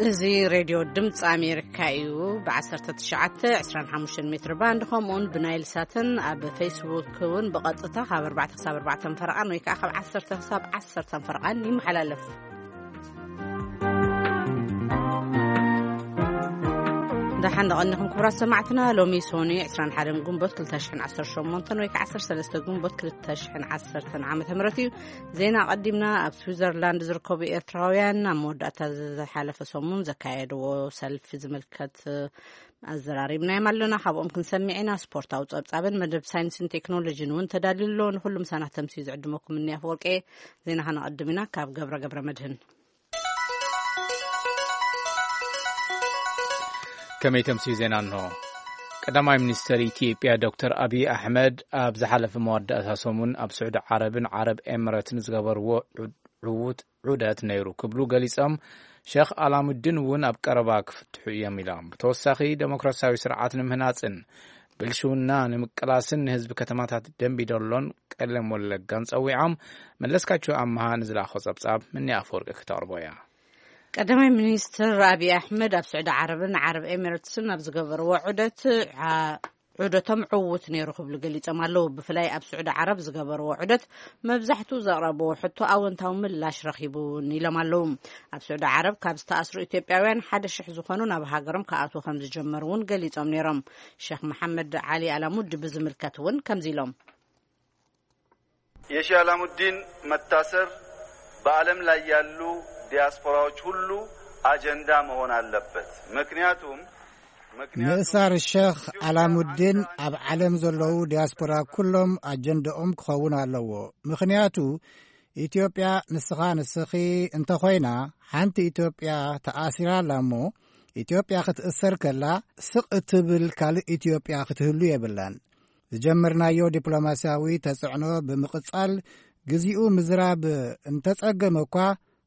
እዚ ሬድዮ ድምፂ ኣሜሪካ እዩ። ብ19፣ 25 ሜትር ባንድ፣ ከምኡውን ብናይል ሳትን ኣብ ፌስቡክ እውን ብቐጥታ ካብ ኣርባዕተ ክሳብ ኣርባዕተ ፈረቓን ወይ ከዓ ካብ ዓሰርተ ክሳብ ዓሰርተ ፈረቓን ይመሓላለፍ። ደሓን ደቐኒኹም ክቡራት ሰማዕትና። ሎሚ ሶኒ 21 ግንቦት 2018 ወይ ከዓ 13 ግንቦት 2010 ዓመተ ምህረት እዩ። ዜና ቀዲምና። ኣብ ስዊዘርላንድ ዝርከቡ ኤርትራውያን ኣብ መወዳእታ ዝሓለፈ ሰሙን ዘካየድዎ ሰልፊ ዝምልከት ኣዘራሪብናዮም ኣለና። ካብኦም ክንሰምዕ ኢና። ስፖርታዊ ጸብጻብን መደብ ሳይንስን ቴክኖሎጂን እውን ተዳልዩ ኣሎ። ንኹሉ ምሳና ተምሲ ዝዕድመኩም እኒ ኣፈወርቂ። ዜና ከነቐድም ኢና። ካብ ገብረ ገብረ መድህን። ከመይ ተምስዩ ዜና እንሆ። ቀዳማይ ሚኒስተር ኢትዮጵያ ዶክተር ኣብይ ኣሕመድ ኣብ ዝሓለፈ መወዳእታ ሰሙን ኣብ ስዑዲ ዓረብን ዓረብ ኤምረትን ዝገበርዎ ዑ-፣ ዕዉት ዑደት ነይሩ ክብሉ ገሊጾም። ሸኽ ኣላሙዲን እውን ኣብ ቀረባ ክፍትሑ እዮም ኢሎም። ብተወሳኺ፣ ዴሞክራሲያዊ ስርዓት ንምህናጽን ብልሽውና ንምቅላስን ንህዝቢ ከተማታት ደንቢዶሎን ቀለም ወለጋን ጸዊዖም። መለስካቸው ኣምሃ ንዝለኣኾ ጸብጻብ ምኒ ኣፈወርቂ ክተቕርቦ እያ። ቀዳማይ ሚኒስትር ኣብይ ኣሕመድ ኣብ ስዑዲ ዓረብን ዓረብ ኤሚሬትስን ኣብ ዝገበርዎ ዑደት፣ ዓ-፣ ዑደቶም ዕዉት ነይሩ ክብሉ ገሊጾም ኣለዉ። ብፍላይ ኣብ ስዑዲ ዓረብ ዝገበርዎ ዑደት መብዛሕትኡ ዘቕረብዎ ሕቶ ኣወንታዊ ምላሽ ረኺቡ እውን ኢሎም ኣለዉ። ኣብ ስዑዲ ዓረብ ካብ ዝተኣስሩ ኢትዮጵያውያን ሓደ ሽሕ ዝኾኑ ናብ ሃገሮም ክኣትዉ ከም ዝጀመሩ እውን ገሊጾም ነይሮም። ሸኽ መሓመድ ዓሊ ኣላሙዲ ብዝምልከት እውን ከምዚ ኢሎም። የሺ አላሙዲን መታሰር በዓለም ላይ ያሉ ዲያስፖራዎች ሁሉ አጀንዳ መሆን አለበት። ምክንያቱም፣ ምክንያቱም ምእሳር ሸኽ ኣላሙዲን ኣብ ዓለም ዘለዉ ዲያስፖራ ኩሎም ኣጀንዳኦም ክኸውን ኣለዎ። ምኽንያቱ፣ ኢትዮጵያ ንስኻ ንስኺ እንተኾይና፣ ሓንቲ ኢትዮጵያ ተኣሲራ ኣላ እሞ፣ ኢትዮጵያ ክትእሰር ከላ፣ ስቕ እትብል ካልእ ኢትዮጵያ ክትህሉ የብላን። ዝጀመርናዮ ዲፕሎማስያዊ ተጽዕኖ ብምቕጻል፣ ግዚኡ ምዝራብ እንተጸገመ እኳ፣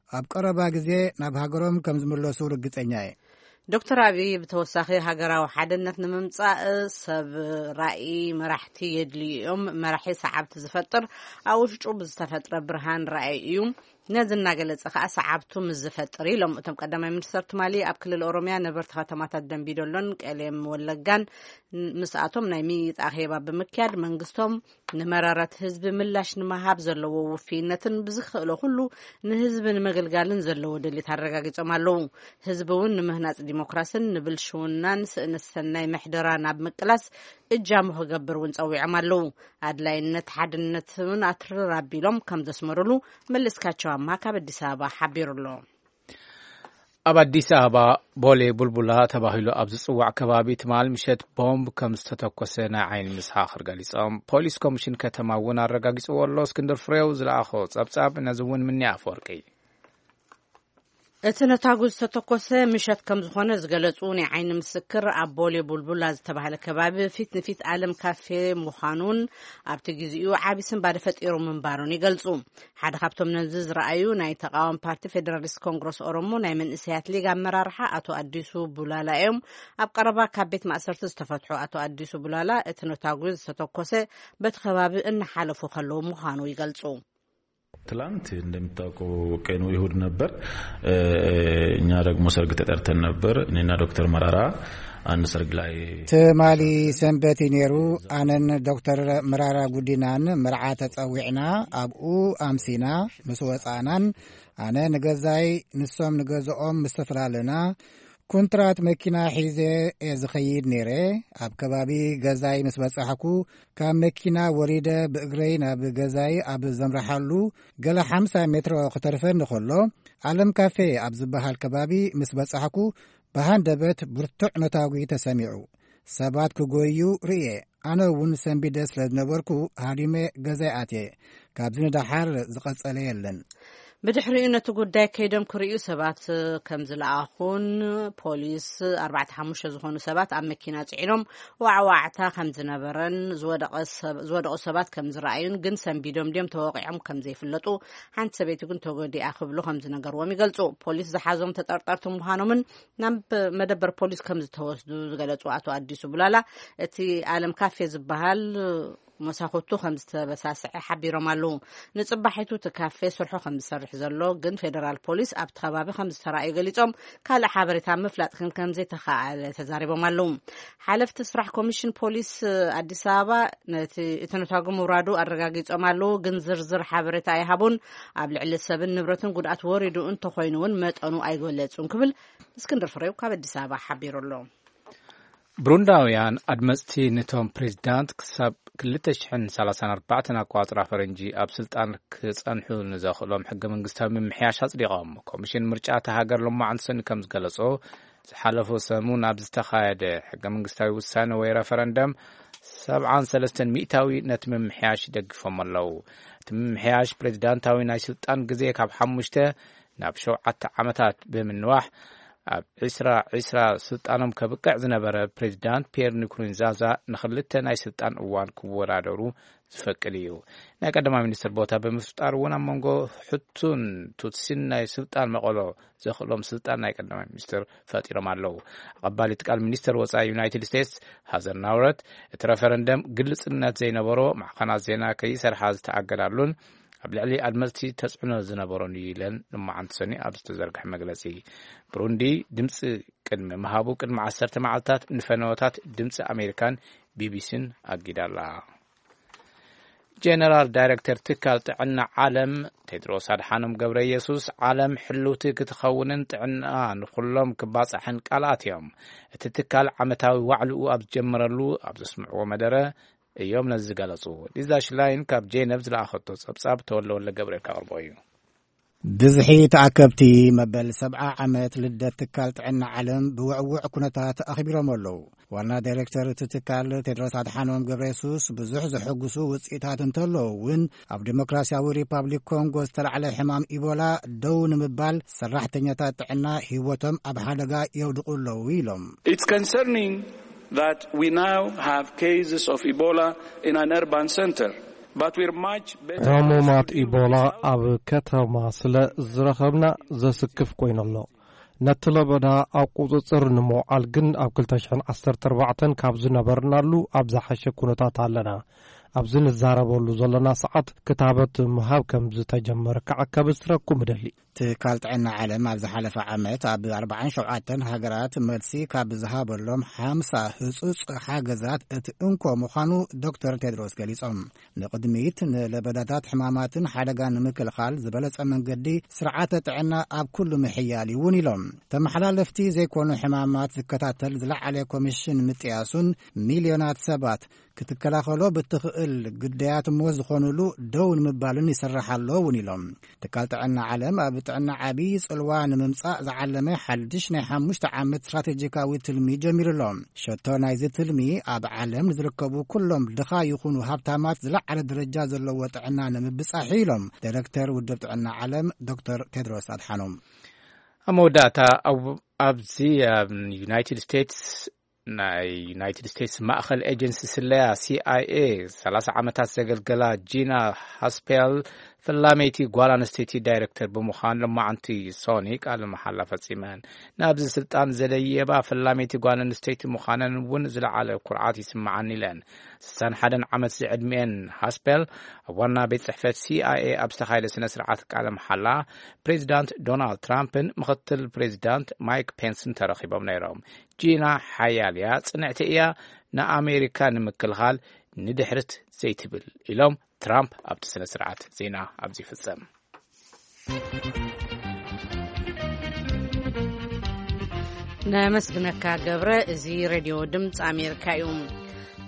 ኣብ ቀረባ ግዜ ናብ ሃገሮም ከም ዝምለሱ ርግጸኛ እየ። ዶክተር ኣብይ ብተወሳኺ፣ ሃገራዊ ሓድነት ንምምጻእ ሰብ ራእይ መራሕቲ የድልዩ እዮም። መራሒ ሰዓብቲ ዝፈጥር ኣብ ውሽጡ ብዝተፈጥረ ብርሃን ራእይ እዩ። ነዚ እናገለጸ ከኣ ሰዓብቱ ምስ ዝፈጥር ኢሎም። እቶም ቀዳማይ ሚኒስተር ትማሊ ኣብ ክልል ኦሮምያ ነበርቲ ከተማታት ደንቢዶሎን ቀሌም ወለጋን ምስኣቶም ናይ ምይይጥ ኣኼባ ብምክያድ፣ መንግስቶም ንመረረት ህዝቢ ምላሽ ንምሃብ ዘለዎ ውፍይነትን ብዝኽእሎ ኩሉ ንህዝቢ ንምግልጋልን ዘለዎ ድሌት ኣረጋጊጾም ኣለዉ። ህዝቢ እውን ንምህናጽ ዲሞክራስን ንብልሽውናን ስእነት ሰናይ ምሕደራ ናብ ምቅላስ እጃሙ ክገብር እውን ጸዊዖም ኣለዉ። ኣድላይነት ሓድነት እውን ኣትርር ኣቢሎም ከም ዘስመሩሉ መለስካቸው ኣምሃ ካብ ኣዲስ ኣበባ ሓቢሩ ኣሎ። ኣብ ኣዲስ ኣበባ ቦሌ ቡልቡላ ተባሂሉ ኣብ ዝጽዋዕ ከባቢ ትማል ምሸት ቦምብ ከም ዝተተኮሰ ናይ ዓይኒ ምስክር ገሊጾም። ፖሊስ ኮሚሽን ከተማ እውን ኣረጋጊጽዎ ኣሎ። እስክንድር ፍሬው ዝለኣኾ ጸብጻብ ነዚ እውን ምኒ ኣፈወርቂ። እቲ ነታጉ ዝተተኮሰ ምሸት ከም ዝኾነ ዝገለጹ ናይ ዓይኒ ምስክር፣ ኣብ ቦሌ ቡልቡላ ዝተባህለ ከባቢ ፊት ንፊት ዓለም ካፌ ምዃኑን ኣብቲ ግዜኡ ዓቢ ስንባደ ፈጢሩ ምንባሩን ይገልጹ። ሓደ ካብቶም ነዚ ዝረኣዩ ናይ ተቃዋሚ ፓርቲ ፌደራሊስት ኮንግረስ ኦሮሞ ናይ መንእሰያት ሊግ ኣመራርሓ ኣቶ ኣዲሱ ቡላላ እዮም። ኣብ ቀረባ ካብ ቤት ማእሰርቲ ዝተፈትሑ ኣቶ ኣዲሱ ቡላላ፣ እቲ ነታጉ ዝተተኮሰ በቲ ከባቢ እናሓለፉ ከለዉ ምዃኑ ይገልጹ። ትላንት እንደሚታወቀው ቀኑ እሁድ ነበር። እ፣ እኛ ደግሞ ሰርግ ተጠርተን ነበር። እኔና ዶክተር መራራ አንድ ሰርግ ላይ ትማሊ ሰንበት እዩ ነይሩ። ኣነን ዶክተር መራራ ጉዲናን መርዓ ተጸዊዕና ኣብኡ ኣምሲና። ምስ ወጻእናን ኣነ ንገዛይ፣ ንሶም ንገዝኦም ምስ ተፈላለና፣ ኩንትራት መኪና ሒዘ እየ ዝኸይድ ነይረ። ኣብ ከባቢ ገዛይ ምስ በጻሕኩ፣ ካብ መኪና ወሪደ ብእግረይ ናብ ገዛይ ኣብ ዘምርሓሉ፣ ገለ ሓምሳ ሜትሮ ክተርፈኒ ከሎ፣ ዓለም ካፌ ኣብ ዝበሃል ከባቢ ምስ በጻሕኩ፣ ብሃንደበት ብርቱዕ ነታጒ ተሰሚዑ። ሰባት ክጎዩ ርእየ። ኣነ እውን ሰንቢደ ስለ ዝነበርኩ፣ ሃዲመ ገዛይ ኣትየ። ካብዚ ንደሓር ዝቐጸለ የለን። ብድሕሪኡ ነቲ ጉዳይ ከይዶም ክርእዩ ሰባት ከም ዝለኣኹን፣ ፖሊስ ኣርባዕተ ሓሙሽተ ዝኾኑ ሰባት ኣብ መኪና ጽዒኖም ዋዕዋዕታ ከም ዝነበረን ዝወደቐ ሰብ-፣ ዝወደቑ ሰባት ከም ዝረኣዩን፣ ግን ሰንቢዶም ድዮም ተወቒዖም ከም ዘይፍለጡ፣ ሓንቲ ሰበይቲ ግን ተጎዲኣ ክብሉ ከም ዝነገርዎም ይገልጹ። ፖሊስ ዝሓዞም ተጠርጠርቲ ምዃኖምን ናብ መደበር ፖሊስ ከም ዝተወስዱ ዝገለጹ ኣቶ ኣዲሱ ቡላላ፣ እቲ ዓለም ካፌ ዝበሃል መሳኹቱ ከም ዝተበሳስዐ ሓቢሮም ኣለዉ። ንጽባሒቱ እቲ ካፌ ስርሑ ከም ዝሰርሕ ዘሎ ግን ፌደራል ፖሊስ ኣብቲ ከባቢ ከም ዝተራእዩ ገሊጾም፣ ካልእ ሓበሬታ ምፍላጥ ግን ከም ዘይተኻኣለ ተዛሪቦም ኣለዉ። ሓለፍቲ ስራሕ ኮሚሽን ፖሊስ ኣዲስ ኣበባ ነቲ እቲ ነታጉ ምውራዱ ኣረጋጊጾም ኣለዉ፣ ግን ዝርዝር ሓበሬታ ኣይሃቡን። ኣብ ልዕሊ ሰብን ንብረትን ጉድኣት ወሪዱ እንተኾይኑ እውን መጠኑ ኣይገለጹን ክብል እስክንድር ፍሬው ካብ ኣዲስ ኣበባ ሓቢሩ ኣሎ። ብሩንዳውያን ኣድመፅቲ ነቶም ፕሬዚዳንት ክሳብ ክልተ ሽሕን ሰላሳን ኣርባዕተን ኣቋፅራ ፈረንጂ ኣብ ስልጣን ክፀንሑ ንዘኽእሎም ሕገ መንግስታዊ ምምሕያሽ ኣፅዲቖም። ኮሚሽን ምርጫ እታ ሃገር ሎማዕንቲ ሰኒ ከም ዝገለጾ፣ ዝሓለፉ ሰሙን ኣብ ዝተኻየደ ሕገ መንግስታዊ ውሳነ ወይ ረፈረንደም ሰብዓን ሰለስተን ሚእታዊ ነቲ ምምሕያሽ ይደግፎም ኣለዉ። እቲ ምምሕያሽ ፕሬዚዳንታዊ ናይ ስልጣን ግዜ ካብ ሓሙሽተ ናብ ሸውዓተ ዓመታት ብምንዋሕ፣ ኣብ ዕስራ ዕስራ ስልጣኖም ከብቅዕ ዝነበረ ፕሬዚዳንት ፒየር ንኩሩንዛዛ ንኽልተ ናይ ስልጣን እዋን ክወዳደሩ ዝፈቅድ እዩ። ናይ ቀዳማይ ሚኒስትር ቦታ ብምፍጣር እውን ኣብ መንጎ ሕቱን ቱትሲን ናይ ስልጣን መቐሎ ዘኽእሎም ስልጣን ናይ ቀዳማይ ሚኒስትር ፈጢሮም ኣለዉ። ኣቐባሊት ቃል ሚኒስትር ወጻኢ ዩናይትድ ስቴትስ ሃዘር ናውረት፣ እቲ ረፈረንደም ግልጽነት ዘይነበሮ፣ ማዕኸናት ዜና ከይሰርሓ ዝተኣገዳሉን ኣብ ልዕሊ ኣድመፅቲ ተፅዕኖ ዝነበሮን እዩ ኢለን ንመዓልቲ ሰኒ ኣብ ዝተዘርግሐ መግለፂ። ብሩንዲ ድምፂ ቅድሚ ምሃቡ ቅድሚ ዓሰርተ መዓልታት ንፈነወታት ድምፂ ኣሜሪካን ቢቢሲን ኣጊዳ ኣላ። ጀነራል ዳይሬክተር ትካል ጥዕና ዓለም ቴድሮስ ኣድሓኖም ገብረ ኢየሱስ፣ ዓለም ሕልውቲ ክትኸውንን ጥዕና ንኹሎም ክባፃሕን ቃልኣት እዮም። እቲ ትካል ዓመታዊ ዋዕልኡ ኣብ ዝጀመረሉ ኣብ ዘስምዕዎ መደረ እዮም ነዚ ዝገለጹ። ሊዛ ሽላይን ካብ ጄነቭ ዝለኣኸቶ ጸብጻብ ተወልደ ወልደ ገብርኤል ከቕርቦ እዩ። ብዝሒ ተኣከብቲ መበል ሰብዓ ዓመት ልደት ትካል ጥዕና ዓለም ብውዕውዕ ኩነታት ኣኽቢሮም ኣለዉ። ዋና ዳይሬክተር እቲ ትካል ቴድሮስ ኣድሓኖም ገብረ የሱስ፣ ብዙሕ ዘሐጉሱ ውጽኢታት እንተለዉ እውን፣ ኣብ ዲሞክራሲያዊ ሪፓብሊክ ኮንጎ ዝተላዕለ ሕማም ኢቦላ ደው ንምባል ሰራሕተኛታት ጥዕና ህይወቶም ኣብ ሓደጋ የውድቑ ኣለዉ ኢሎም። It's concerning that we now have cases of Ebola in an urban center, but we're much better ሕሙማት prepared to deal ኢቦላ with ኣብ ከተማ ስለ ዝረኸብና ዘስክፍ ኮይኑ ኣሎ። ነቲ ለበዳ ኣብ ቁጽጽር ንምውዓል ግን ኣብ ክልተ ሽሕን ዓሰርተ ኣርባዕተን ካብ ዝነበርናሉ ኣብ ዝሓሸ ኩነታት ኣለና። ኣብዚ ንዛረበሉ ዘለና ሰዓት ክታበት ምሃብ ከም ዝተጀመረ ክዓከብ ዝትረኩም እደሊ። ትካል ጥዕና ዓለም ኣብ ዝሓለፈ ዓመት ኣብ ኣርባዓን ሸውዓተን ሃገራት መልሲ ካብ ዝሃበሎም ሓምሳ ህጹጽ ሓገዛት እቲ እንኮ ምዃኑ ዶክተር ቴድሮስ ገሊጾም። ንቕድሚት ንለበዳታት ሕማማትን ሓደጋ ንምክልኻል ዝበለጸ መንገዲ ስርዓተ ጥዕና ኣብ ኩሉ ምሕያል እዩ እውን ኢሎም። ተመሓላለፍቲ ዘይኮኑ ሕማማት ዝከታተል ዝለዓለ ኮሚሽን ምጥያሱን ሚልዮናት ሰባት ክትከላኸሎ ብትኽእል ግዳያት እሞ ዝኾኑሉ ደው ንምባልን ይሰርሕ ኣሎ እውን ኢሎም። ትካል ጥዕና ዓለም ኣብ ጥዕና ዓብዪ ጽልዋ ንምምጻእ ዝዓለመ ሓድሽ ናይ ሓሙሽተ ዓመት ስትራቴጂካዊ ትልሚ ጀሚሩ ኣሎ። ሸቶ ናይዚ ትልሚ ኣብ ዓለም ንዝርከቡ ኩሎም ድኻ ይኹኑ ሃብታማት ዝለዓለ ደረጃ ዘለዎ ጥዕና ንምብጻሕ እዩ ኢሎም ዳይሬክተር ውድብ ጥዕና ዓለም ዶክተር ቴድሮስ ኣድሓኖም። ኣብ መወዳእታ ኣብ-፣ ኣብዚ ኣብ ዩናይትድ ስቴትስ ናይ ዩናይትድ ስቴትስ ማእኸል ኤጀንሲ ስለያ ሲ ኣይ ኤ ሰላሳ ዓመታት ዘገልገላ ጂና ሃስፔል ፈላመይቲ ጓል ኣንስተይቲ ዳይሬክተር ብምዃን ሎማዓንቲ ሶኒ ቃለ መሓላ ፈጺመን። ናብዚ ስልጣን ዘደየባ ፈላመይቲ ጓል ኣንስተይቲ ምዃነን እውን ዝለዓለ ኩርዓት ይስምዓኒ ኢለን። ስሳን ሓደን ዓመት ዝዕድሚኤን ሃስፔል ኣብ ዋና ቤት ጽሕፈት ሲ ኣይ ኤ ኣብ ዝተኻየደ ስነ ስርዓት ቃለ መሓላ ፕሬዚዳንት ዶናልድ ትራምፕን ምኽትል ፕሬዚዳንት ማይክ ፔንስን ተረኺቦም ነይሮም። ጂና ሓያል እያ፣ ጽንዕቲ እያ፣ ንኣሜሪካ ንምክልኻል ንድሕርት ዘይትብል ኢሎም ትራምፕ ኣብቲ ስነ ስርዓት ዜና ኣብዚ ይፍጸም። ነመስግነካ ገብረ። እዚ ሬድዮ ድምፂ ኣሜሪካ እዩ።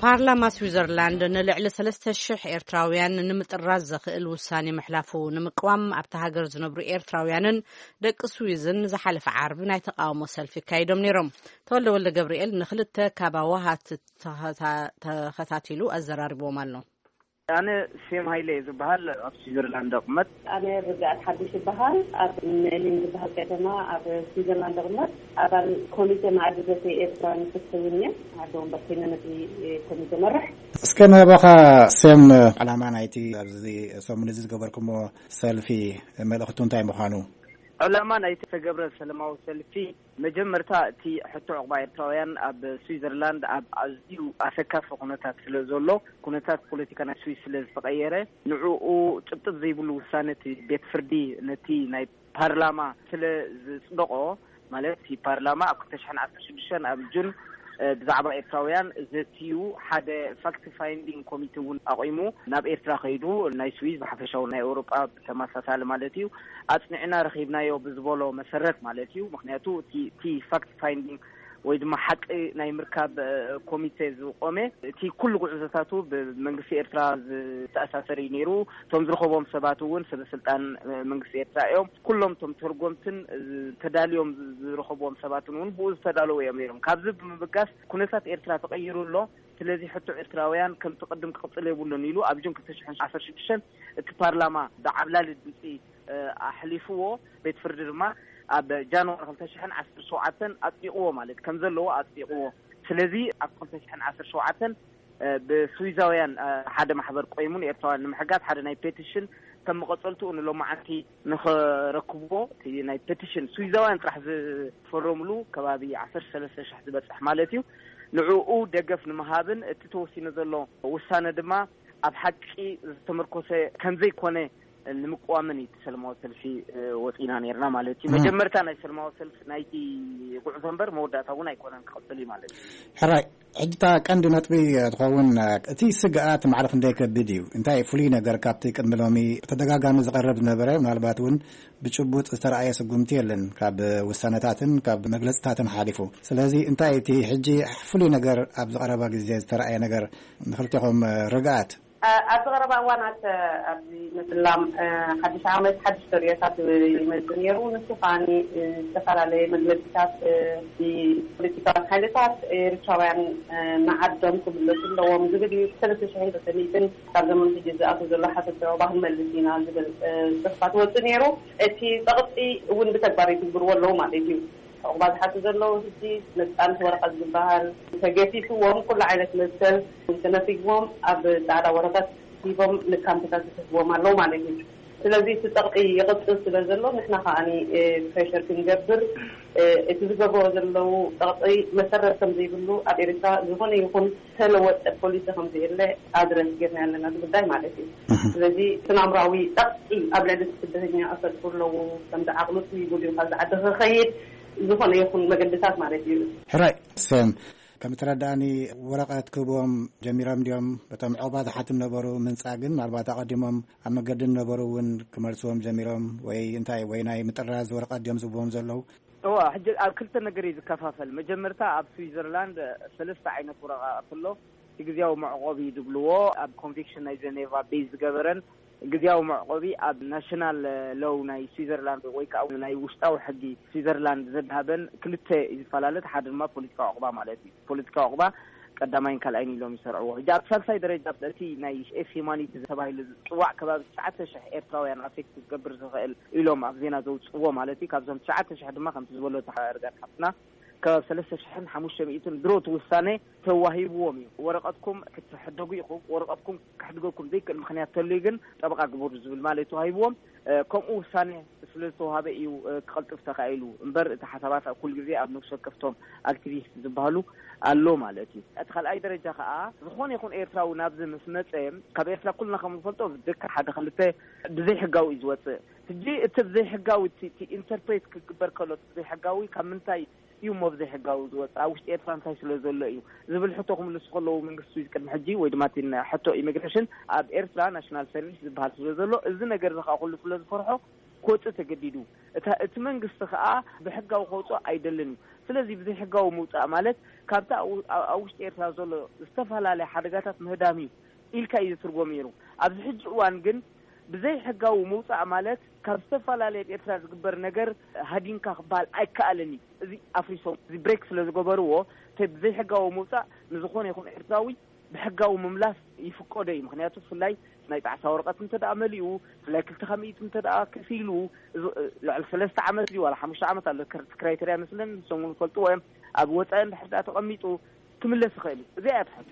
ፓርላማ ስዊዘርላንድ ንልዕሊ ሰለስተ ሽሕ ኤርትራውያን ንምጥራዝ ዘኽእል ውሳኔ ምሕላፉ ንምቅዋም ኣብታ ሃገር ዝነብሩ ኤርትራውያንን ደቂ ስዊዝን ዝሓለፈ ዓርቢ ናይ ተቃውሞ ሰልፊ ኣካይዶም ነይሮም። ተወልደ ወልደ ገብርኤል ንክልተ ካብ ኣዋሃት ተኸታ-፣ ተኸታቲሉ ኣዘራሪብዎም ኣሎ። ኣነ ሴም ሃይለ እየ ዝበሃል፣ ኣብ ስዊዘርላንድ እቕመጥ። ኣነ ርግኣት ሓድሽ ይበሃል፣ ኣብ ሜሊን ዝበሃል ከተማ ኣብ ስዊዘርላንድ እቕመጥ። ኣባል ኮሚቴ ማዕዲ ዘተ ኤርትራውያን ፍትሒ እውን እየ። ኣደ ወንበር ኮይነ ነቲ ኮሚቴ መርሕ። እስከ ንህበኻ ሴም፣ ዕላማ ናይቲ ኣብዚ ሰሙን እዚ ዝገበርኩሞ ሰልፊ መልእኽቱ እንታይ ምዃኑ? ዕላማ ናይቲ ዝተገብረ ሰላማዊ ሰልፊ፣ መጀመርታ እቲ ሕቶ ዕቑባ ኤርትራውያን ኣብ ስዊዘርላንድ ኣብ ኣዝዩ ኣሰካፊ ኩነታት ስለ ዘሎ፣ ኩነታት ፖለቲካ ናይ ስዊስ ስለ ዝተቐየረ፣ ንዕኡ ጭብጥብ ዘይብሉ ውሳነ እቲ ቤት ፍርዲ ነቲ ናይ ፓርላማ ስለ ዝጽደቖ፣ ማለት እቲ ፓርላማ ኣብ ክልተ ሽሕን ዓሰርተ ሽዱሽተን ኣብ ጁን፣ እ፣ ብዛዕባ ኤርትራውያን ዘትዩ ሓደ ፋክት ፋይንዲንግ ኮሚቴ እውን ኣቑሙ፣ ናብ ኤርትራ ከይዱ፣ ናይ ስዊዝ ብሓፈሻዊ ናይ ኤውሮጳ ብተመሳሳሊ ማለት እዩ፣ ኣጽኒዕና ረኺብናዮ ብዝበሎ መሰረት ማለት እዩ። ምኽንያቱ እቲ፣ እቲ ፋክት ፋይንዲንግ ወይ ድማ ሓቂ ናይ ምርካብ፣ እ፣ ኮሚቴ ዝቆመ፣ እቲ ኩሉ ጉዕዞታቱ ብመንግስቲ ኤርትራ ዝተኣሳሰር እዩ ነይሩ። እቶም ዝረኸቦም ሰባት እውን ሰበ ስልጣን፣ እ፣ መንግስቲ ኤርትራ እዮም። ኩሎም እቶም ተርጎምትን፣ እ፣ ተዳልዮም ዝ-፣ ዝረኸብዎም ሰባትን እውን ብኡ ዝተዳለዉ እዮም ነይሮም። ካብዚ ብምብጋስ ኩነታት ኤርትራ ተቐይሩ ኣሎ። ስለዚ ሕቶ ኤርትራውያን ከምቲ ቅድም ክቕጽል የብሉን ኢሉ ኣብ ጁን ክልተ ሽሕን ዓሰርተ ሽዱሽተን እቲ ፓርላማ ብዓብላሊ ድምጺ፣ እ፣ ኣሕሊፍዎ። ቤት ፍርዲ ድማ ኣብ ጃንዋሪ ክልተ ሽሕን ዓሰርተ ሸውዓተን ኣጽዲቕዎ፣ ማለት ከም ዘለዎ ኣጽዲቕዎ። ስለዚ ኣብ ክልተ ሽሕን ዓሰርተ ሸውዓተን፣ እ፣ ብስዊዛውያን፣ እ፣ ሓደ ማሕበር ቆይሙ ንኤርትራውያን ንምሕጋዝ ሓደ ናይ ፔቲሽን ከም መቐጸልትኡ ንሎማዓንቲ ንኸረክብዎ፣ እቲ ናይ ፔቲሽን ስዊዛውያን ጥራሕ ዝፈረምሉ ከባቢ ዓሰርተ ሰለስተ ሽሕ ዝበጽሕ ማለት እዩ። ንዕኡ ደገፍ ንምሃብን እቲ ተወሲኑ ዘሎ ውሳነ ድማ ኣብ ሓቂ ዝተመርኮሰ ከምዘይኮነ ንምቅዋምን እዩ እቲ ሰላማዊ ሰልፊ፣ እ፣ ወጺና ነይርና ማለት እዩ። እም። መጀመርታ ናይ ሰላማዊ ሰልፊ ናይቲ ጉዕዞ እምበር መወዳእታ እውን ኣይኮነን፣ ክቕጽል እዩ ማለት እዩ። ሕራይ፣ ሕጂ እታ ቀንዲ ነጥቢ ትኸውን፣ እቲ ስግኣት ማዕረ ክንደይ ከቢድ እዩ? እንታይ ፍሉይ ነገር ካብቲ ቅድሚ ሎሚ ብተደጋጋሚ ዝቐርብ ዝነበረ፣ ምናልባት እውን ብጭቡጥ ዝተረኣየ ስጉምቲ የለን፣ ካብ ውሳነታትን ካብ መግለጽታትን ሓሊፉ። ስለዚ እንታይ እቲ ሕጂ ፍሉይ ነገር ኣብዚ ቀረባ ግዜ ዝተረኣየ ነገር ንኽልቴኹም ርግኣት? ኣ-፣ ኣብዚ ቀረባ እዋናት፣ ኣ፣ ኣብዚ ምጽላም፣ ኣ፣ ሓድሽ ዓመት ሓድሽ ተርእዮታት ይመጽእ ነይሩ። ንሱ ከኣኒ፣ እ፣ ዝተፈላለየ መግለጺታት፣ እ፣ ፖለቲካውያን ሓይልታት ኤርትራውያን፣ እ፣ ንዓዶም ክምለሱ ኣለዎም ዝብል እዩ። ሰለስተ ሽሕን ክልተ ሚእትን ካብ ዘመን ሕጂ ዝኣቱ ዘሎ ሓተት ዕቑባ ክንመልስ ኢና ዝብል፣ እ፣ ጽሑፋት ወጽእ ነይሩ። እቲ ጸቕጢ እውን ብተግባር ይትግብርዎ ኣለዉ ማለት እዩ። ዕቑባ ዝሓቱ ዘለዉ ሕጂ ነጻነት ወረቐት ዝበሃል ተገፊፍዎም፣ ኩሉ ዓይነት መሰል ተነፊግዎም፣ ኣብ ጻዕዳ ወረቐት ሂቦም ንካምፕታት ዝሕዝዎም ኣለዉ ማለት እዩ። ስለዚ እቲ ጸቕጢ ይቕጽል ስለ ዘሎ፣ ንሕና ከኣኒ፣ እ፣ ፕሬሸር ክንገብር፣ እ፣ እቲ ዝገብርዎ ዘለዉ ጸቕጢ መሰረት ከም ዘይብሉ፣ ኣብ ኤርትራ ዝኾነ ይኹን ተለወጠ ፖሊሲ ከም ዘየለ ኣድረስ ጌርና ኣለና፣ እቲ ጉዳይ ማለት እዩ። እህ። ስለዚ እቲ ናምራዊ ጸቕጢ ኣብ ልዕሊ እቲ ስደተኛ ኣሰልፉ ኣለዉ፣ ከምዚ ዓቕሉ ስሚጉ ድዩ ካብዚ ዓዲ ክኸይድ፣ ዝኾነ ይኹን መገድታት ማለት እዩ። ሕራይ፣ ሰም፣ ከም እተረዳእኒ ወረቐት ክህብዎም ጀሚሮም ድዮም? በቶም ዕቑባ ዝሓቱ ነበሩ ምንጻግ ግን፣ ምናልባት ኣቐዲሞም ኣብ መገዲ ነበሩ እውን ክመልስዎም ጀሚሮም ወይ እንታይ፣ ወይ ናይ ምጥራዝ ወረቐት ድዮም ዝህብዎም ዘለዉ? እዋ፣ ሕጂ ኣብ ክልተ ነገር እዩ ዝከፋፈል። መጀመርታ ኣብ ስዊዘርላንድ ሰለስተ ዓይነት ወረቓቕቲ ኣሎ። እቲ ግዝያዊ መዕቆቢ ዝብልዎ ኣብ ኮንቬንሽን ናይ ጀኔቫ ቤዝ ዝገበረን፣ ግዝያዊ መዕቆቢ ኣብ ናሽናል ሎው ናይ ስዊዘርላንድ ወይ ከዓ ናይ ውሽጣዊ ሕጊ ስዊዘርላንድ ዘድሃበን ክልተ እዩ ዝፈላለ። እቲ ሓደ ድማ ፖለቲካዊ ዕቑባ ማለት እዩ። ፖለቲካዊ ዕቑባ ቀዳማይን ካልኣይን ኢሎም ይሰርዕዎ። ሕጂ ኣብ ሳልሳይ ደረጃ እቲ ናይ ኤፍ ሂማኒቲ ተባሂሉ ዝፅዋዕ ከባቢ ትሽዓተ ሽሕ ኤርትራውያን ኣፌክት ዝገብር ዝኽእል ኢሎም ኣብ ዜና ዘውፅዎ ማለት እዩ። ካብዞም ትሽዓተ ሽሕ ድማ ከምቲ ዝበሎ እታ ርጋት ሓፍትና ከባቢ ሰለስተ ሽሕን ሓሙሽተ ሚእትን ድሮ እቲ ውሳነ ተዋሂብዎም እዩ። ወረቐትኩም ክትሕደጉ ኢኹም፣ ወረቐትኩም ከሕድገኩም ዘይክእል ምኽንያት ተልዩ ግን ጠበቓ ግበሩ ዝብል ማለት ተዋሂብዎም። እ፣ ከምኡ ውሳነ ስለ ዝተዋሃበ እዩ፣ እ፣ ክቐልጥፍ ተኻኢሉ እምበር እቲ ሓሳባት ኣብ ኩሉ ግዜ ኣብ ነፍሲ ወከፍቶም ኣክቲቪስት ዝበሃሉ ኣሎ ማለት እዩ። እቲ ካልኣይ ደረጃ ከዓ ዝኾነ ይኹን ኤርትራዊ ናብዚ ምስ መጸ፣ ካብ ኤርትራ ኩልና ከም ንፈልጦ ብደቂ ሓደ ክልተ ብዘይሕጋዊ እዩ ዝወጽእ። ሕጂ እቲ ብዘይሕጋዊ እቲ፣ እቲ ኢንተርፕሬት ክግበር ከሎ እቲ ብዘይሕጋዊ ካብ ምንታይ እዩ እሞ ብዘይሕጋዊ ዝወጽእ? ኣብ ውሽጢ ኤርትራ እንታይ ስለ ዘሎ እዩ ዝብል ሕቶ ክምልሱ ከለዉ መንግስቲ ስዊዝ ቅድሚ ሕጂ ወይ ድማ እቲ ሕቶ ኢሚግሬሽን ኣብ ኤርትራ ናሽናል ሰርቪስ ዝበሃል ስለ ዘሎ እዚ ነገር እዚ ከዓ ኩሉ ስለ ዝፈርሖ ክወጽእ ተገዲዱ። እታ፣ እቲ መንግስቲ ከዓ ብሕጋዊ ከውጽኦ ኣይደልን እዩ። ስለዚ ብዘይሕጋዊ ምውጻእ ማለት ካብቲ ኣብ፣ ኣብ፣ ኣብ ውሽጢ ኤርትራ ዘሎ ዝተፈላለየ ሓደጋታት ምህዳም እዩ ኢልካ እዩ ዝትርጎም ነይሩ። ኣብዚ ሕጂ እዋን ግን ብዘይ ሕጋዊ ምውጻእ ማለት ካብ ዝተፈላለየ ኣብ ኤርትራ ዝግበር ነገር ሃዲምካ ክበሃል ኣይከኣልን እዩ። እዚ ኣፍሪሶም፣ እዚ ብሬክ ስለ ዝገበርዎ፣ እቲ ብዘይ ሕጋዊ ምውጻእ ንዝኾነ ይኹን ኤርትራዊ ብሕጋዊ ምምላስ ይፍቀዶ እዩ። ምኽንያቱ ብፍላይ ናይ ጣዕሳ ወረቐት እንተ ደኣ መሊኡ፣ ብፍላይ ክልተ ሚእቲ እንተ ደኣ ከፊሉ፣ እዚ ልዕሊ ሰለስተ ዓመት ድዩ ዋላ ሓሙሽተ ዓመት ኣሎ፣ ክር-፣ ክራይተርያ መስለን ንሶም እውን ይፈልጥዎ እዮም። ኣብ ወጻኢ እንድሕር ደኣ ተቐሚጡ ክምለስ ይኽእል እዩ። እዚኣ እያ ትሕቶ።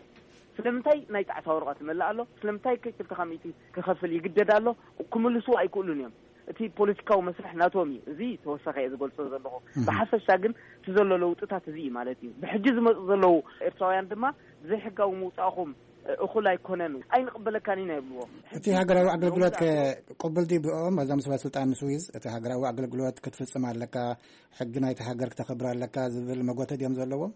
ስለምንታይ ናይ ጣዕሳ ወረቐት ይመልእ ኣሎ? ስለምንታይ ከ ክልተ ሚእቲ ክኸፍል ይግደድ ኣሎ? ክምልስዎ ኣይክእሉን እዮም። እቲ ፖለቲካዊ መስርሕ ናቶም እዩ። እዚ ተወሳኺ እየ ዝገልጾ ዘለኹ። ብሓፈሻ ግን እቲ ዘሎ ለውጥታት እዚ እዩ ማለት እዩ። ብሕጂ ዝመጹ ዘለዉ ኤርትራውያን ድማ ብዘይሕጋዊ ምውጻእኹም እኹል ኣይኮነን፣ ኣይንቕበለካን ኢና ይብልዎ። እቲ ሃገራዊ ኣገልግሎት ከ ቅቡል ድዩ ብኦም? እዞም ሰበ ስልጣን ስዊዝ፣ እቲ ሃገራዊ ኣገልግሎት ክትፍጽም ኣለካ፣ ሕጊ ናይቲ ሃገር ክተኽብር ኣለካ ዝብል መጎተ ድዮም ዘለዎም?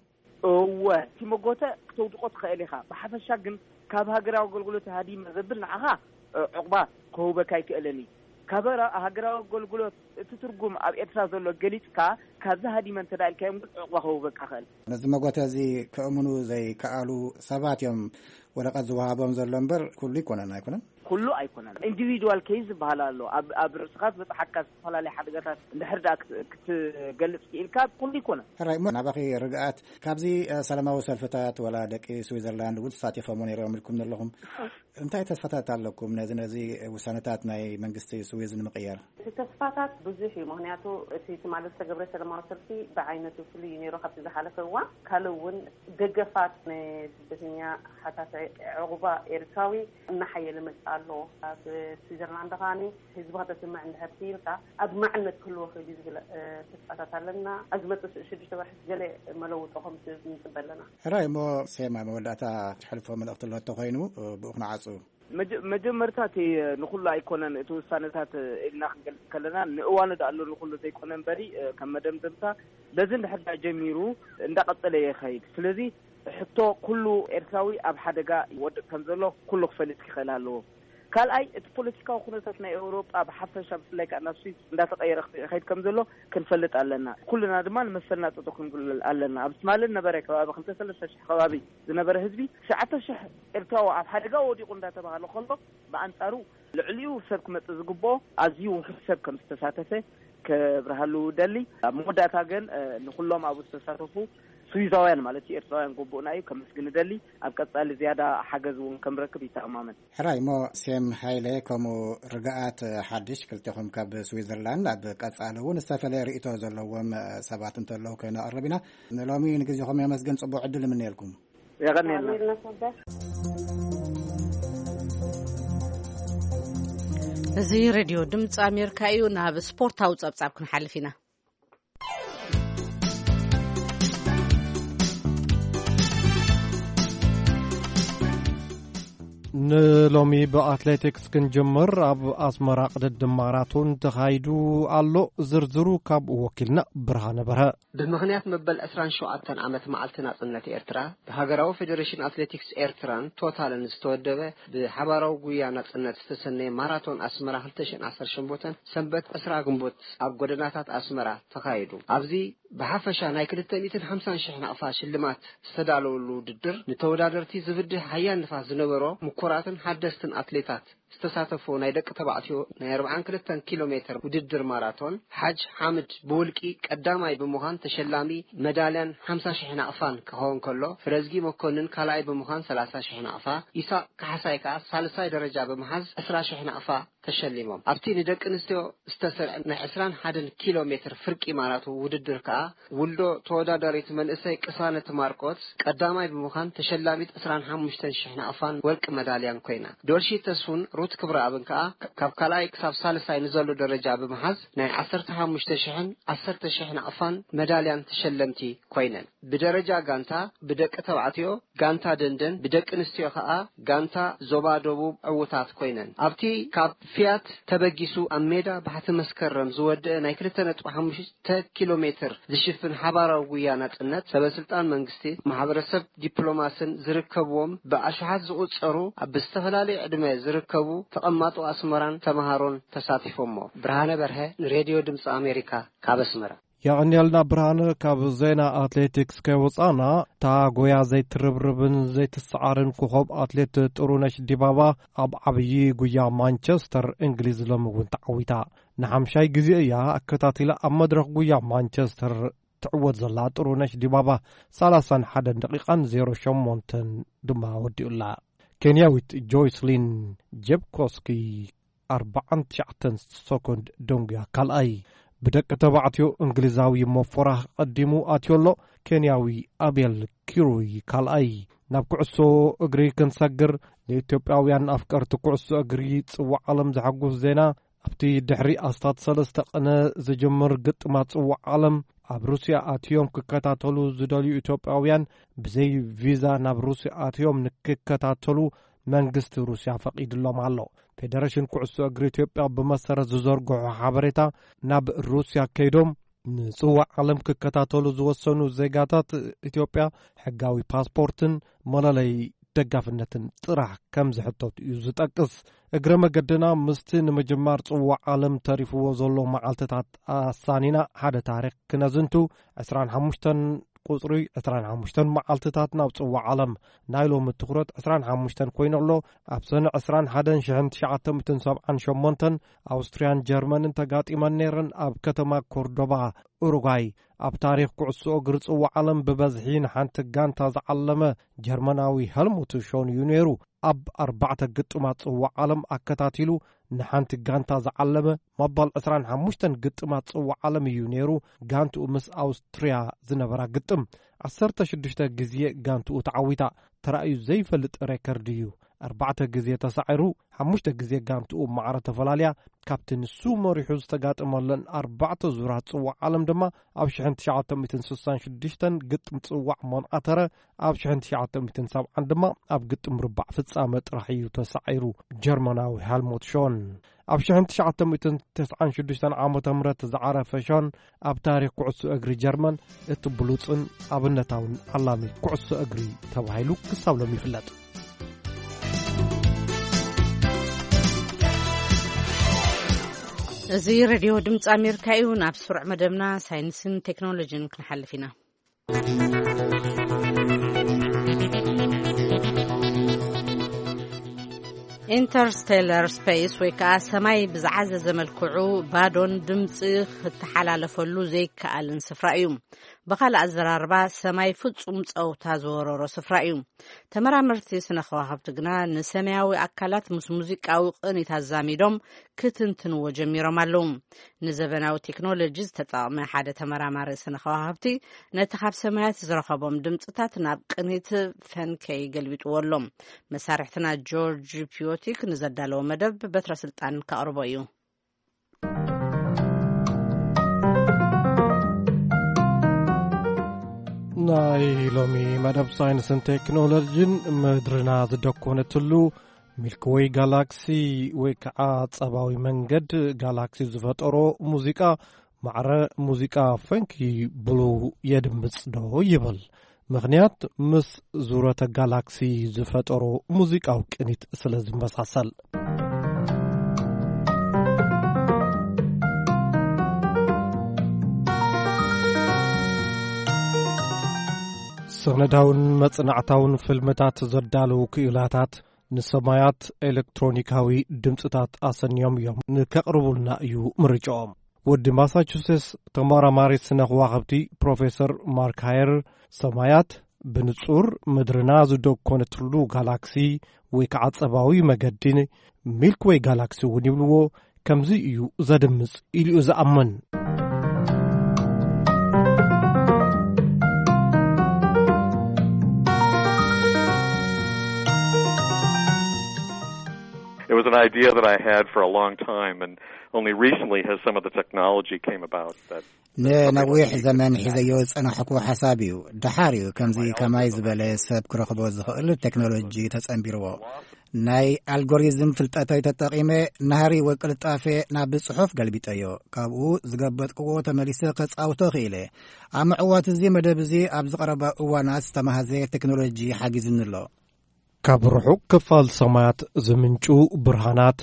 እወ፣ እቲ መጎተ ክተውድቆ ትኽእል ኢኻ። ብሓፈሻ ግን ካብ ሃገራዊ ኣገልግሎት ሃዲመ ዘብል ንዓኻ ዕቑባ ክህበካ ኣይክእልን እዩ። ካብ ሃገራዊ ኣገልግሎት እቲ ትርጉም ኣብ ኤርትራ ዘሎ ገሊጽካ ካብዚ ሃዲመ እንተ ኢልካዮም ግን ዕቑባ ክህበካ ይኽእል። ነዚ መጎተ እዚ ከእምኑ ዘይከኣሉ ሰባት እዮም ወረቐት ዝወሃቦም ዘሎ እምበር ኩሉ ኣይኮነን። ኣይኮነን? ኩሉ ኣይኮነን። ኢንዲቪድዋል ኬዝ ዝበሃል ኣሎ። ኣብ ኣብ ርእስኻ ዝበጽሓካ ዝተፈላለዩ ሓደጋታት እንድሕር ደኣ ክት- ክትገልጽ ክኢልካ ኩሉ ኣይኮነን። ሕራይ እሞ ናባኺ ርግኣት፣ ካብዚ ሰላማዊ ሰልፍታት ወላ ደቂ ስዊዘርላንድ እውን ተሳቲፎም ነይሮም ኢልኩም ዘለኹም፣ እንታይ ተስፋታት ኣለኩም ነዚ ነዚ ውሳነታት ናይ መንግስቲ ስዊዝ ንምቕያር? እቲ ተስፋታት ብዙሕ እዩ። ምክንያቱ እቲ ትማሊ ዝተገብረ ሰላማዊ ሰልፊ ብዓይነቱ ፍሉይ እዩ ነይሩ ካብቲ ዝሓለፈ እዋን። ካልእ እውን ደገፋት ንስደተኛ ሓታቲ ዕቑባ ኤርትራዊ እናሓየለ መፅእ ኣሎ። ኣብ ስዊዘርላንድ ከዓኒ ህዝቢ ከተስምዕ እንድሕር ክኢልካ ኣድማዕነት ክህልዎ ክእል እዩ ዝብል ተስፋታት ኣለና። ኣብ ዝመፅእ ሽዱሽተ ወርሒ ገለ መለውጦ ከም ንፅበ ኣለና። ሕራይ እሞ፣ ሴማ፣ መወዳእታ ትሕልፎ መልእኽቲ ኣሎ እንተኾይኑ ብኡ ክንዓፁ። መጀመርታ እቲ ንኹሉ ኣይኮነን እቲ ውሳነታት ኢልና ክንገልጽ ከለና፣ ንእዋኑ ዳኣ ኣሎ ንኹሉ ዘይኮነ እምበሪ፣ ከም መደምደምታ በዚ እንድሕር ዳኣ ጀሚሩ እንዳቐጸለ ይኸይድ። ስለዚ ሕቶ ኩሉ ኤርትራዊ ኣብ ሓደጋ ይወድቕ ከም ዘሎ ኩሉ ክፈልጥ ክኽእል ኣለዎ። ካልኣይ፣ እቲ ፖለቲካዊ ኩነታት ናይ ኤውሮጳ ብሓፈሻ፣ ብፍላይ ከኣ ናብ ስዊስ እንዳተቐየረ ክኸይድ ከም ዘሎ ክንፈልጥ ኣለና። ኩልና ድማ ንመሰልና ጸጥቶ ክንግልል ኣለና። ኣብ ትማሊ ነበረ ከባቢ ክልተ ሰለስተ ሽሕ ከባቢ ዝነበረ ህዝቢ፣ ትሽዓተ ሽሕ ኤርትራዊ ኣብ ሓደጋ ወዲቑ እንዳተባሃለ ከሎ፣ ብኣንጻሩ ልዕሊኡ ሰብ ክመጽእ ዝግብኦ ኣዝዩ ውሑድ ሰብ ከም ዝተሳተፈ ከብርሃሉ ደሊ። ኣብ መወዳእታ ግን ንኹሎም ኣብኡ ዝተሳተፉ ስዊዛውያን ማለት እዩ፣ ኤርትራውያን ግቡእና እዩ ከመስግን ደሊ። ኣብ ቀጻሊ ዝያዳ ሓገዝ እውን ከምረክብ ይተኣማመን። ሕራይ እሞ፣ ሴም ሃይለ ከምኡ ርግኣት ሓድሽ፣ ክልቴኹም ካብ ስዊዘርላንድ፣ ኣብ ቀጻሊ እውን ዝተፈለየ ርእይቶ ዘለዎም ሰባት እንተለዉ ከነቕርብ ኢና። ንሎሚ ንግዜኹም የመስግን፣ ጽቡቕ ዕድል እምነየልኩም። የቐንየልና። እዚ ሬድዮ ድምፂ ኣሜሪካ እዩ። ናብ ስፖርታዊ ጸብጻብ ክንሓልፍ ኢና። ንሎሚ ብኣትሌቲክስ ክንጅምር። ኣብ ኣስመራ ቅድድም ማራቶን ተኻይዱ ኣሎ። ዝርዝሩ ካብ ወኪልና ብርሃነ በርሀ። ብምኽንያት መበል ዕስራን ሸውዓተን ዓመት መዓልቲ ናጽነት ኤርትራ፣ ብሃገራዊ ፌደሬሽን ኣትሌቲክስ ኤርትራን ቶታልን ዝተወደበ ብሓባራዊ ጉያ ናጽነት ዝተሰነየ ማራቶን ኣስመራ ክልተ ሽሕን ዓሰርተ ሸሞንተን ሰንበት ዕስራ ግንቦት ኣብ ጎደናታት ኣስመራ ተኻይዱ። ኣብዚ ብሓፈሻ ናይ ክልተ ሚእትን ሓምሳን ሽሕ ናቕፋ ሽልማት ዝተዳለወሉ ውድድር፣ ንተወዳደርቲ ዝብድህ ሓያል ንፋስ ዝነበሮ፣ ምኩራትን ሓደስትን ኣትሌታት ዝተሳተፎ ናይ ደቂ ተባዕትዮ ናይ ኣርብዓን ክልተን ኪሎ ሜትር ውድድር ማራቶን፣ ሓጅ ሓምድ ብውልቂ ቀዳማይ ብምዃን ተሸላሚ መዳልያን ሓምሳ ሽሕ ናቕፋን ክኸውን ከሎ፣ ፍረዝጊ መኮንን ካልኣይ ብምዃን ሰላሳ ሽሕ ናቕፋ፣ ኢሳቕ ካሕሳይ ከኣ ሳልሳይ ደረጃ ብምሓዝ ዕስራ ሽሕ ናቕፋ ተሸሊሞም። ኣብቲ ንደቂ ኣንስትዮ ዝተሰርዐ ናይ ዕስራን ሓደን ኪሎ ሜትር ፍርቂ ማራቶን ውድድር ከኣ፣ ውልዶ ተወዳዳሪት መንእሰይ ቅሳነት ማርቆስ ቀዳማይ ብምዃን ተሸላሚት ዕስራን ሓሙሽተን ሽሕ ናቕፋን ወርቂ መዳልያን ኮይና። ዶልሺ ተስፉን ሩት ክብረኣብን ከኣ፣ ካብ ካልኣይ ክሳብ ሳልሳይ ንዘሎ ደረጃ ብምሓዝ፣ ናይ ዓሰርተ ሓሙሽተ ሽሕን ዓሰርተ ሽሕ ናቕፋን መዳልያን ተሸለምቲ ኮይነን። ብደረጃ ጋንታ፣ ብደቂ ተባዕትዮ ጋንታ ደንደን፣ ብደቂ ኣንስትዮ ከኣ ጋንታ ዞባ ደቡብ ዕዉታት ኮይነን። ኣብቲ ካብ ፊያት ተበጊሱ ኣብ ሜዳ ባሕቲ መስከረም ዝወደአ ናይ ክልተ ነጥቢ ሓሙሽተ ኪሎ ሜትር ዝሽፍን ሓባራዊ ጉያ ናጽነት፣ ሰበ ስልጣን መንግስቲ፣ ማሕበረሰብ ዲፕሎማስን ዝርከብዎም ብኣሽሓት ዝቑጸሩ ኣብ ዝተፈላለየ ዕድመ ዝርከቡ ተቐማጦ ኣስመራን ተመሃሮን ተሳቲፎሞ። ብርሃነ በርሀ ንሬድዮ ድምፂ ኣሜሪካ ካብ ኣስመራ። የቐንየልና ብርሃነ። ካብ ዜና ኣትሌቲክስ ከይወጻና፣ እታ ጎያ ዘይትርብርብን ዘይትሰዓርን ኮኾብ ኣትሌት ጥሩነሽ ዲባባ ኣብ ዓብዪ ጉያ ማንቸስተር እንግሊዝ ሎሚ እውን ተዓዊታ። ንሓምሻይ ግዜ እያ ኣከታቲላ ኣብ መድረኽ ጉያ ማንቸስተር ትዕወት ዘላ ጥሩነሽ ዲባባ፣ ሰላሳን ሓደን ደቂቓን ዜሮ ሸሞንተን ድማ ወዲኡላ። ኬንያዊት ጆይስሊን ጀብኮስኪ ኣርባዓን ትሽዓተን ሰኮንድ ደንጉያ ካልኣይ። ብደቂ ተባዕትዮ እንግሊዛዊ ሞፎራ ቀዲሙ ኣትዮ ኣሎ፣ ኬንያዊ ኣቤል ኪሩይ ካልኣይ። ናብ ኩዕሶ እግሪ ክንሰግር፣ ንኢትዮጵያውያን ኣፍቀርቲ ኩዕሶ እግሪ ጽዋዕ ዓለም ዘሐጉስ ዜና። ኣብቲ ድሕሪ ኣስታት ሰለስተ ቅነ ዝጅምር ግጥማት ጽዋዕ ዓለም፣ ኣብ ሩስያ ኣትዮም ክከታተሉ ዝደልዩ ኢትዮጵያውያን ብዘይ ቪዛ ናብ ሩስያ ኣትዮም ንክከታተሉ መንግስቲ ሩስያ ፈቒድሎም ኣሎ። ፌደሬሽን ኩዕሶ እግሪ ኢትዮጵያ ብመሰረት ዝዘርግሖ ሓበሬታ፣ ናብ ሩስያ ከይዶም ንጽዋዕ ዓለም ክከታተሉ ዝወሰኑ ዜጋታት ኢትዮጵያ፣ ሕጋዊ ፓስፖርትን መለለይ ደጋፍነትን ጥራሕ ከም ዝሕተቱ እዩ ዝጠቅስ። እግረ መገድና፣ ምስቲ ንምጅማር ጽዋዕ ዓለም ተሪፍዎ ዘሎ መዓልትታት ኣሳኒና ሓደ ታሪኽ ክነዝንቱ፣ ዕስራን ሓሙሽተን ቁጽሪ ዕስራን ሓሙሽተን መዓልትታት ናብ ጽዋዕ ዓለም። ናይ ሎሚ ትኹረት ዕስራን ሓሙሽተን ኮይኑ ኣሎ። ኣብ ሰነ ዕስራን ሓደን ሽሕን ትሽዓተ ሚእትን ሰብዓን ሸሞንተን ኣውስትርያን ጀርመንን ተጋጢመን ነይረን። ኣብ ከተማ ኮርዶባ ኡሩጓይ፣ ኣብ ታሪኽ ኩዕሶ እግሪ ጽዋዕ ዓለም ብበዝሒ ንሓንቲ ጋንታ ዝዓለመ ጀርመናዊ ሄልሙት ሾን እዩ ነይሩ። ኣብ ኣርባዕተ ግጥማት ጽዋዕ ዓለም ኣከታቲሉ ንሓንቲ ጋንታ ዝዓለመ፣ መባል ዕስራን ሓሙሽተን ግጥማት ጽዋዕ ዓለም እዩ ነይሩ። ጋንትኡ ምስ ኣውስትርያ ዝነበራ ግጥም፣ ዓሰርተ ሽዱሽተ ግዜ ጋንትኡ ተዓዊታ። ተራእዩ ዘይፈልጥ ሬከርድ እዩ። ኣርባዕተ ግዜ ተሳዒሩ፣ ሓሙሽተ ግዜ ጋንትኡ ማዕረ ተፈላልያ። ካብቲ ንሱ መሪሑ ዝተጋጠመለን ኣርባዕተ ዙራት ጽዋዕ ዓለም ድማ፣ ኣብ ሽሕን ትሽዓተ ሚእትን ስሳን ሽዱሽተን ግጥም ጽዋዕ ሞንኣተረ፣ ኣብ ሽሕን ትሽዓተ ሚእትን ሰብዓን ድማ ኣብ ግጥም ርባዕ ፍጻመ ጥራሕ እዩ ተሳዒሩ፣ ጀርመናዊ ሄልሙት ሾን። ኣብ ሽሕን ትሽዓተ ሚእትን ተስዓን ሽዱሽተን ዓመተ ምህረት ዝዓረፈ ሾን፣ ኣብ ታሪኽ ኩዕሶ እግሪ ጀርመን እቲ ብሉጽን ኣብነታውን ዓላሚ ኩዕሶ እግሪ ተባሂሉ ክሳብ ሎሚ ይፍለጥ። እዚ ሬድዮ ድምፂ ኣሜሪካ እዩ። ናብ ስሩዕ መደብና ሳይንስን ቴክኖሎጂን ክንሓልፍ ኢና። ኢንተርስቴለር ስፔስ ወይ ከዓ ሰማይ ብዝዓዘዘ መልክዑ ባዶን ድምፂ ክተሓላለፈሉ ዘይከኣልን ስፍራ እዩ። ብኻልእ ኣዘራርባ፣ ሰማይ ፍጹም ጸውታ ዝወረሮ ስፍራ እዩ። ተመራመርቲ ስነ ከዋኽብቲ ግና ንሰማያዊ ኣካላት ምስ ሙዚቃዊ ቅኒት ኣዛሚዶም ክትንትንዎ ጀሚሮም ኣለዉ። ንዘበናዊ ቴክኖሎጂ ዝተጠቕመ ሓደ ተመራማሪ ስነ ከዋኽብቲ፣ ነቲ ካብ ሰማያት ዝረኸቦም ድምጽታት ናብ ቅኒት ፈንከይ ገልቢጥዎ ኣሎ። መሳርሕትና ጆርጅ ፒዮቲክ ንዘዳለዎ መደብ በትረ ስልጣን ከቕርቦ እዩ። ናይ ሎሚ መደብ ሳይንስን ቴክኖሎጂን፣ ምድርና ዝደኮነትሉ ሚልክወይ ጋላክሲ ወይ ከዓ ጸባዊ መንገድ ጋላክሲ ዝፈጠሮ ሙዚቃ፣ ማዕረ ሙዚቃ ፈንኪ ብሉ የድምጽ ዶ ይብል። ምኽንያት፣ ምስ ዙረተ ጋላክሲ ዝፈጠሮ ሙዚቃዊ ቅኒት ስለ ዝመሳሰል። ሰነዳውን መጽናዕታውን ፍልምታት ዘዳለዉ ክኢላታት፣ ንሰማያት ኤሌክትሮኒካዊ ድምጽታት ኣሰንዮም እዮም ንከቕርቡልና እዩ ምርጫኦም። ወዲ ማሳቹሴትስ ተመራማሪ ስነ ከዋኽብቲ ፕሮፌሰር ማርክ ሃየር፣ ሰማያት ብንጹር ምድርና ዝደኮነትሉ ጋላክሲ ወይ ከዓ ጸባዊ መገዲ፣ ሚልክወይ ጋላክሲ እውን ይብልዎ፣ ከምዚ እዩ ዘድምጽ ኢሉ እዩ ዝኣምን። It was an idea that I had for a long time, and only recently has some of the technology came about that. ንነዊሕ ዘመን ሒዘዮ ዝጸናሕኩ ሓሳብ እዩ። ደሓር እዩ ከምዚ ከማይ ዝበለ ሰብ ክረኽቦ ዝኽእል ቴክኖሎጂ ተጸንቢርዎ። ናይ ኣልጎሪዝም ፍልጠተይ ተጠቒመ፣ ናህሪ ወይ ቅልጣፌ ናብ ጽሑፍ ገልቢጠዮ። ካብኡ ዝገበጥክዎ ተመሊሰ ከጻውቶ ክኢለ። ኣብ ምዕዋት እዚ መደብ እዚ ኣብ ዝቐረባ እዋናት ዝተማህዘ ቴክኖሎጂ ሓጊዝኒ ኣሎ። ካብ ርሑቕ ክፋል ሰማያት ዝምንጩ ብርሃናት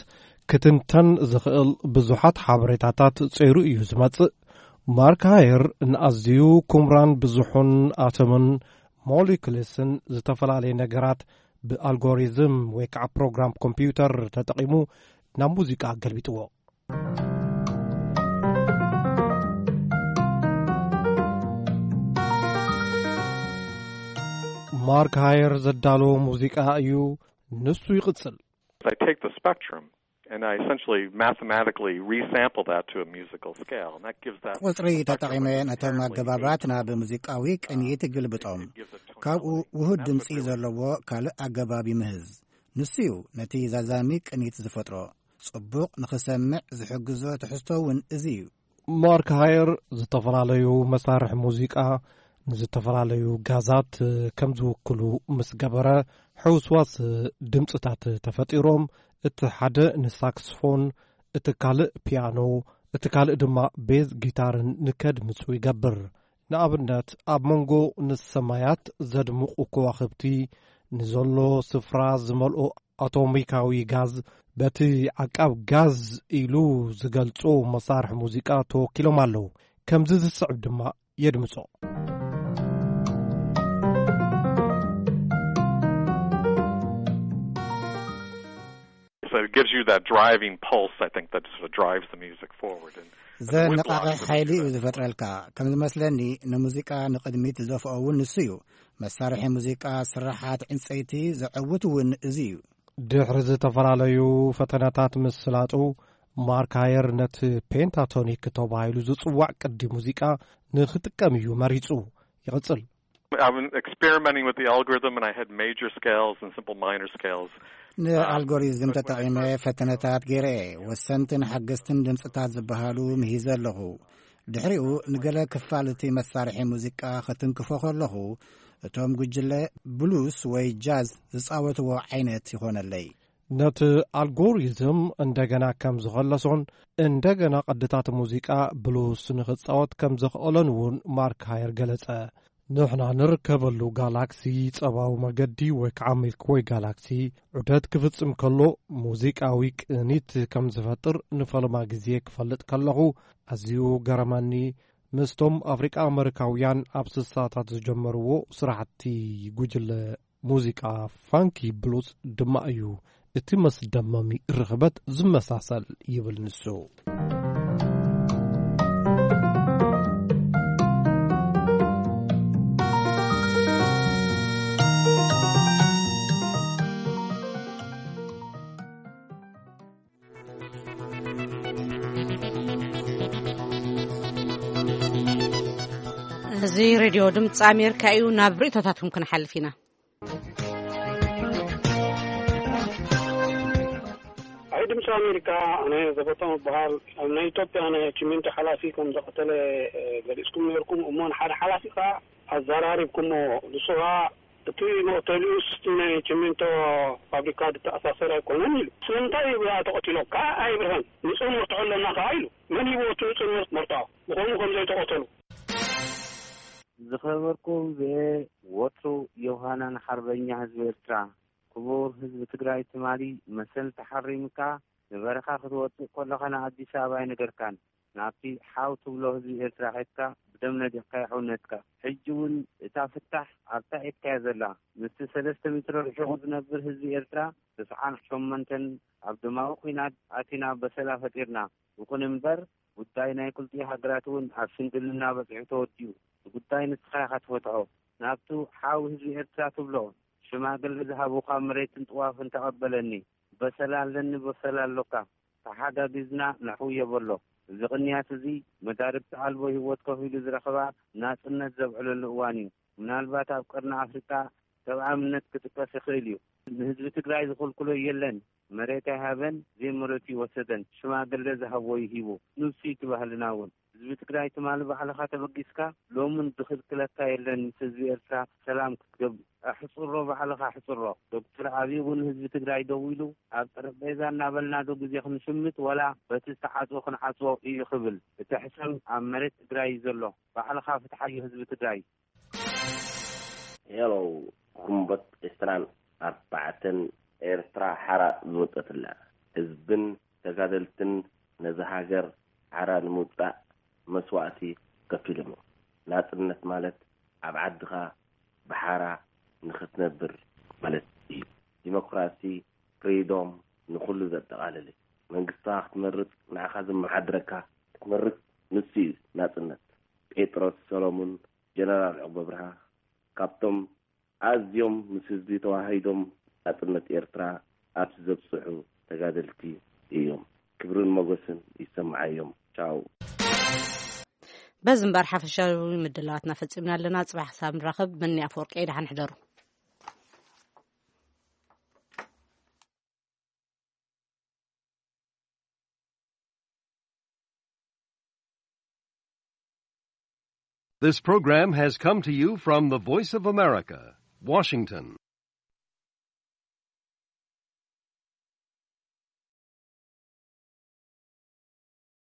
ክትንተን ዝኽእል ብዙሓት ሓበሬታታት ጸይሩ እዩ ዝመጽእ። ማርክ ሃየር ንኣዝዩ ኩምራን ብዙሑን ኣቶምን ሞሊኩልስን ዝተፈላለየ ነገራት ብኣልጎሪዝም ወይ ከዓ ፕሮግራም ኮምፒውተር ተጠቒሙ ናብ ሙዚቃ ገልቢጥዎ። ማርክ ሃየር ዘዳለዎ ሙዚቃ እዩ። ንሱ ይቕጽል። I take the spectrum and I essentially mathematically resample that to a musical scale, and that gives that ቁጽሪ ተጠቒመ ነቶም ኣገባባት ናብ ሙዚቃዊ ቅኒት ይግልብጦም። ካብኡ ውሁድ ድምጺ ዘለዎ ካልእ ኣገባብ ይምህዝ። ንሱ እዩ ነቲ ዛዛሚ ቅኒት ዝፈጥሮ። ጽቡቕ ንኽሰምዕ ዝሕግዞ ትሕዝቶ እውን እዚ እዩ። ማርክ ሃየር ዝተፈላለዩ መሳርሒ ሙዚቃ ንዝተፈላለዩ ጋዛት ከም ዝውክሉ ምስ ገበረ፣ ሕውስዋስ ድምፅታት ተፈጢሮም፣ እቲ ሓደ ንሳክስፎን፣ እቲ ካልእ ፒያኖ፣ እቲ ካልእ ድማ ቤዝ ጊታርን ንከድምጹ ይገብር። ንኣብነት፣ ኣብ መንጎ ንሰማያት ዘድምቑ ከዋኽብቲ ንዘሎ ስፍራ ዝመልኦ ኣቶሚካዊ ጋዝ፣ በቲ ዓቃብ ጋዝ ኢሉ ዝገልጾ መሳርሒ ሙዚቃ ተወኪሎም ኣለዉ። ከምዚ ዝስዕብ ድማ የድምጾ። So it gives you that driving pulse, I think, that sort of drives the music forward. And, and the ዘነቓቕሕ woodblocks are ሓይሊ እዩ that. ዝፈጥረልካ። ከም ዝመስለኒ፣ ንሙዚቃ ንቕድሚት ዝደፍኦ እውን ንሱ እዩ። መሳርሒ ሙዚቃ ስራሓት ዕንፀይቲ ዘዐውት እውን እዚ እዩ። ድሕሪ ዝተፈላለዩ ፈተነታት ምስላጡ፣ ማርክ ሃየር ነቲ ፔንታቶኒክ ተባሂሉ ዝጽዋዕ ቅዲ ሙዚቃ ንኽጥቀም እዩ መሪጹ። ይቕጽል። I've been experimenting with the algorithm, and I had major scales and simple minor scales. ንኣልጎሪዝም ተጠቒመ ፈተነታት ገይረ እየ። ወሰንትን ሓገዝትን ድምፅታት ዝበሃሉ ምሂዘ ኣለኹ። ድሕሪኡ ንገለ ክፋል እቲ መሳርሒ ሙዚቃ ክትንክፎ ከለኹ፣ እቶም ጉጅለ ብሉስ ወይ ጃዝ ዝጻወትዎ ዓይነት ይኾነለይ። ነቲ ኣልጎሪዝም እንደገና ከም ዝኸለሶን እንደገና ቅድታት ሙዚቃ ብሉስ ንኽጻወት ከም ዘኽእሎን እውን ማርክ ሃየር ገለጸ። ንሕና ንርከበሉ ጋላክሲ ጸባዊ መገዲ ወይ ከዓ ሚልክወይ ጋላክሲ ዑደት ክፍጽም ከሎ ሙዚቃዊ ቅኒት ከም ዝፈጥር ንፈለማ ግዜ ክፈልጥ ከለኹ ኣዝዩ ገረመኒ። ምስቶም ኣፍሪቃ ኣመሪካውያን ኣብ ስሳታት ዝጀመርዎ ስራሕቲ ጉጅለ ሙዚቃ ፋንኪ ብሉስ ድማ እዩ እቲ መስደመሚ ርኽበት ዝመሳሰል ይብል ንሱ። እዚ ሬድዮ ድምፂ ኣሜሪካ እዩ። ናብ ርእቶታትኩም ክንሓልፍ ኢና። ኣይ ድምፂ ኣሜሪካ፣ ኣነ ዘበቶም እበሃል። ኣብ ናይ ኢትዮጵያ ናይ ችሚንቶ ሓላፊ ከም ዘቐተለ ገሊፅኩም ነርኩም እሞ፣ ንሓደ ሓላፊ ከዓ ኣዘራሪብኩሞ። ንሱ ከዓ እቲ መቕተሊኡስ እቲ ናይ ችሚንቶ ፋብሪካ ዝተኣሳሰር ኣይኮነን ኢሉ። ስለምንታይ እዩ ብኣ ተቐቲሎም ከዓ ኣይብርሀን። ንፁር መርትዖ ኣለና ከዓ ኢሉ። መን ሂብዎ እቲ ንፁር መርትዖ ብኸምኡ ከም ዘይተቐተሉ? ዝኸበርኩም ብኤ ወትሩ ዮሃናን ሓርበኛ ህዝቢ ኤርትራ። ክቡር ህዝቢ ትግራይ ትማሊ መሰል ተሓሪምካ ንበረኻ ክትወፅእ ከለኻ ንኣዲስ ኣበባ ኣይነገርካን። ናብቲ ሓው ትብሎ ህዝቢ ኤርትራ ኸድካ ብደም ነዲቕካ ይሕውነትካ። ሕጂ እውን እታ ፍታሕ ኣብታ ኢድካያ ዘላ ምስቲ ሰለስተ ሜትሮ ርሒቑ ዝነብር ህዝቢ ኤርትራ ተስዓን ሸሞንተን ኣብ ደማዊ ኲናት ኣቲና በሰላ ፈጢርና። ይኹን እምበር ጉዳይ ናይ ክልቲኡ ሃገራት እውን ኣብ ሽምግልና በፂሑ ተወዲኡ። እቲ ጉዳይ ንስኻ ኢኻ ትፈትሖ። ናብቱ ሓው ህዝቢ ኤርትራ ትብሎ ሽማግለ ዝሃቡኻ መሬትን ጥዋፍን ተቐበለኒ። በሰላ ኣለኒ በሰላ ኣሎካ። ተሓጋጊዝና ነሕውዮ በሎ። እዚ ቅንያት እዚ መዳርግቲ ኣልቦ ህይወት ከፊሉ ዝረኸባ ናጽነት ዘብዕለሉ እዋን እዩ። ምናልባት ኣብ ቀርኒ ኣፍሪቃ ሰብኣምነት ክጥቀስ ይኽእል እዩ። ንህዝቢ ትግራይ ዝኽልክሎ የለን። መሬት ኣይሃበን፣ ዘይመሬቱ ይወሰደን። ሽማግለ ዝሃቦ ይሂቡ። ንሱ እዩ እቲ ባህልና እውን። ህዝቢ ትግራይ ትማሊ ባዕልኻ ተበጊስካ ሎምን ዝኽልክለካ የለን። ምስ ህዝቢ ኤርትራ ሰላም ክትገብር ኣሕጽሮ፣ ባዕልኻ ኣሕጽሮ። ዶክተር ኣብይ እውን ህዝቢ ትግራይ ደው ኢሉ ኣብ ጠረጴዛ እናበልና ዶ ግዜ ክንሽምት ዋላ በቲ ዝተዓጽወ ክንዓጽዎ እዩ ክብል? እቲ ሕሰም ኣብ መሬት ትግራይ እዩ ዘሎ። ባዕልኻ ፍትሓዮ ህዝቢ ትግራይ። ሄሎ፣ ግንቦት ዕስራን ኣርባዕተን ኤርትራ ሓራ ዝወጸትላ፣ ህዝብን ተጋደልትን ነዛ ሃገር ሓራ ንምውጻእ መስዋእቲ ከፊሎም እዮም። ናጽነት ማለት ኣብ ዓድኻ ብሓራ ንኽትነብር ማለት እዩ። ዲሞክራሲ፣ ፍሪዶም ንኹሉ ዘጠቓልል እዩ። መንግስትኻ ክትመርጽ፣ ንዓኻ ዝመሓድረካ ክትመርጽ፣ ንሱ እዩ ናጽነት። ጴጥሮስ ሰሎሙን፣ ጀነራል ዑቕበ ብርሃ፣ ካብቶም ኣዝዮም ምስ ህዝቢ ተዋሃሂዶም ናጽነት ኤርትራ ኣብዚ ዘብጽሑ ተጋደልቲ እዮም። ክብርን ሞገስን ይሰምዓዮም። ቻው። በዚ እምበር ሓፈሻዊ ምድላዋትና ፈጺምና ኣለና። ጽባሕ ክሳብ ንራኸብ፣ መኒ ኣፈወርቂ፣ ደሓን ሕደሩ። This program has come to you from the Voice of America, Washington.